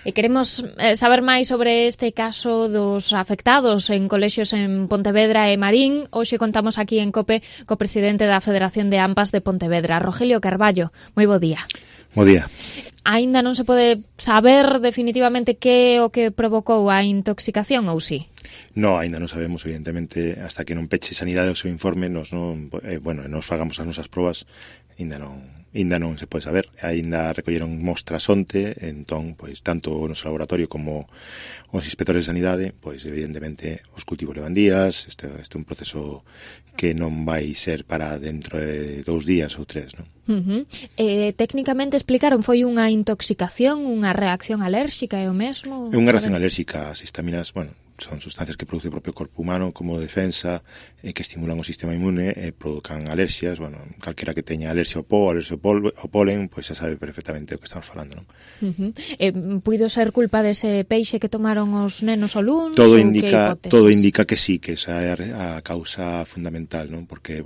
E queremos saber máis sobre este caso dos afectados en colexios en Pontevedra e Marín. Hoxe contamos aquí en COPE co presidente da Federación de AMPAs de Pontevedra, Rogelio Carballo. Moi bo día. Bo día. Aínda non se pode saber definitivamente que é o que provocou a intoxicación ou si? No, aínda non sabemos, evidentemente, hasta que non peche Sanidade o seu informe, nos fagamos as nosas probas, aínda non se pode saber. Aínda recolleron mostras onte, entón, pois, tanto o noso laboratorio como os inspectores de Sanidade, pois, evidentemente, os cultivos levan días, este é un proceso que non vai ser para dentro de 2 días ou 3, non? Técnicamente explicaron, foi unha intoxicación, unha reacción alérxica, é o mesmo? É unha reacción alérxica. As histaminas, son sustancias que produce o propio corpo humano como defensa, que estimulan o sistema inmune e provocan alerxias. Calquera que teña alerxia ao po, alerxia ao polen, pois xa sabe perfectamente o que estamos falando, non? Puido ser culpa dese peixe que tomaron os nenos ao luns? Todo indica que sí, que esa é a causa fundamental, non? Porque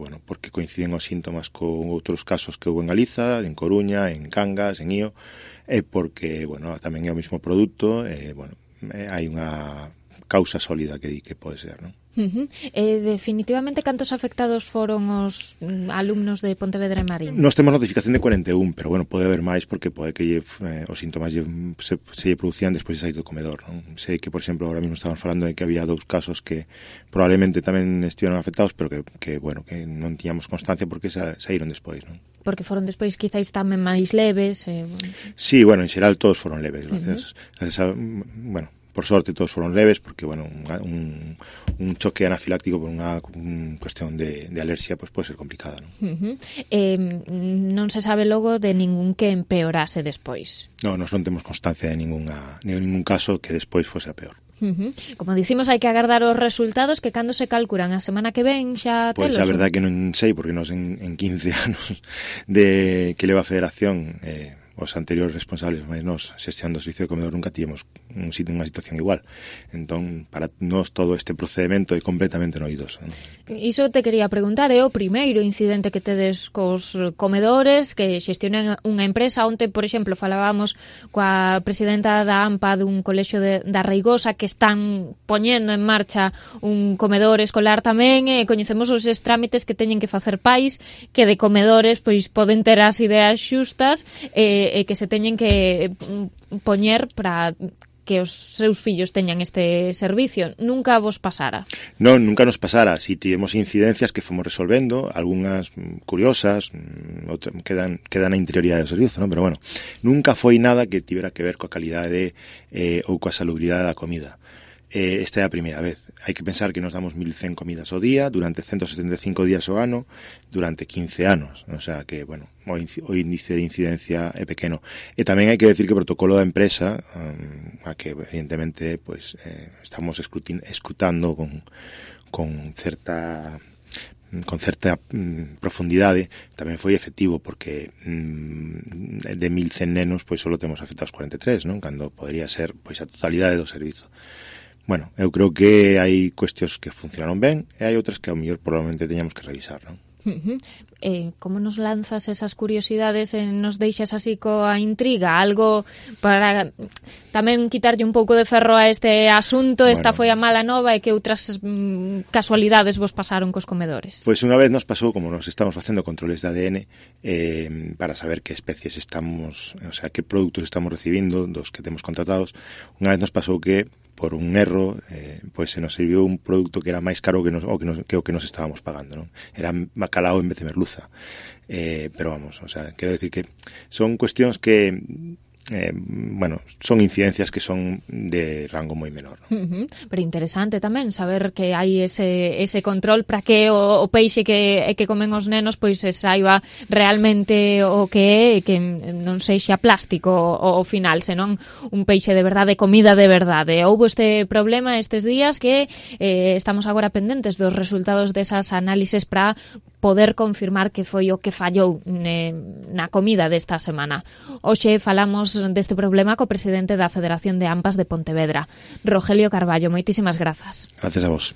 coinciden os síntomas con outros casos que houve en Galiza, en Coruña, en Cangas, en Ío, e porque, tamén é o mesmo produto, hai unha causa sólida que di que pode ser, non? Definitivamente, cantos afectados foron os alumnos de Pontevedra e Marín? Nós temos notificación de 41, pero pode haber máis porque pode que os síntomas se producían despois de sair do comedor, non? Sei que, por exemplo, ahora mesmo estaban falando de que había 2 casos que probablemente tamén estiveron afectados, pero que non tiñamos constancia porque saíron despois, non? Porque foron despois quizáis tamén máis leves. Sí, en xeral todos foron leves, gracias a, por sorte todos foron leves, porque, un choque anafiláctico por unha cuestión de alerxia, pois pode ser complicada, non? Non se sabe logo de ningún que empeorase despois? Non, non temos constancia de ningún caso que despois fose a peor. Como dicimos, hai que agardar os resultados, que cando se calculan a semana que ven xa telos? Pois a verdade que non sei, porque nos en 15 anos de que leva a Federación, os anteriores responsables, mas nós, xestión do servicio de comedor, nunca tivemos unha situación igual. Entón, para nós todo este procedimento é completamente novidoso, non? Iso te quería preguntar, é o primeiro incidente que tedes cos comedores que xestionan unha empresa. Onte, por exemplo, falábamos coa presidenta da AMPA dun colexio da Reigosa que están poñendo en marcha un comedor escolar tamén, e coñecemos os trámites que teñen que facer pais que de comedores pois poden ter as ideas xustas e que se teñen que poñer para que os seus fillos teñan este servicio. Nunca vos pasara? Non, nunca nos pasara. Si tivemos incidencias que fomos resolvendo, algunhas curiosas, quedan na interioridade do servizo, non? Pero nunca foi nada que tivera que ver coa calidade ou coa salubridade da comida. Esta é a primeira vez. Hai que pensar que nos damos 1100 comidas ao día durante 175 días ao ano durante 15 anos. O sea que, o índice de incidencia é pequeno. E tamén hai que decir que o protocolo da empresa, a que evidentemente estamos escrutando con certa profundidade, tamén foi efectivo, porque de 1100 nenos só temos afectados 43, non? Cando podría ser a totalidade do servizo. Eu creo que hai cuestións que funcionaron ben e hai outras que ao mellor probablemente teñamos que revisar, non? Como nos lanzas esas curiosidades e nos deixas así coa intriga? Algo para tamén quitarlle un pouco de ferro a este asunto. Esta foi a mala nova, e que outras casualidades vos pasaron cos comedores? Pois unha vez nos pasou, como nos estamos facendo controles de ADN para saber que especies estamos, que produtos estamos recibindo dos que temos contratados, unha vez nos pasou que por un erro, se nos serviu un produto que era máis caro que o que nos estábamos pagando, non? Era bacalao en vez de merluza. Pero quero decir que son cuestións que son incidencias que son de rango moi menor, non? Pero interesante tamén saber que hai ese control para que o peixe que comen os nenos pois se saiba realmente o que é, e que non sexa plástico ao final, senón un peixe de verdade, comida de verdade. Houbo este problema estes días que estamos agora pendentes dos resultados desas análises para poder confirmar que foi o que fallou na comida desta semana. Hoxe falamos deste problema co presidente da Federación de AMPAs de Pontevedra, Rogelio Carballo. Moitísimas grazas. Gracias a vos.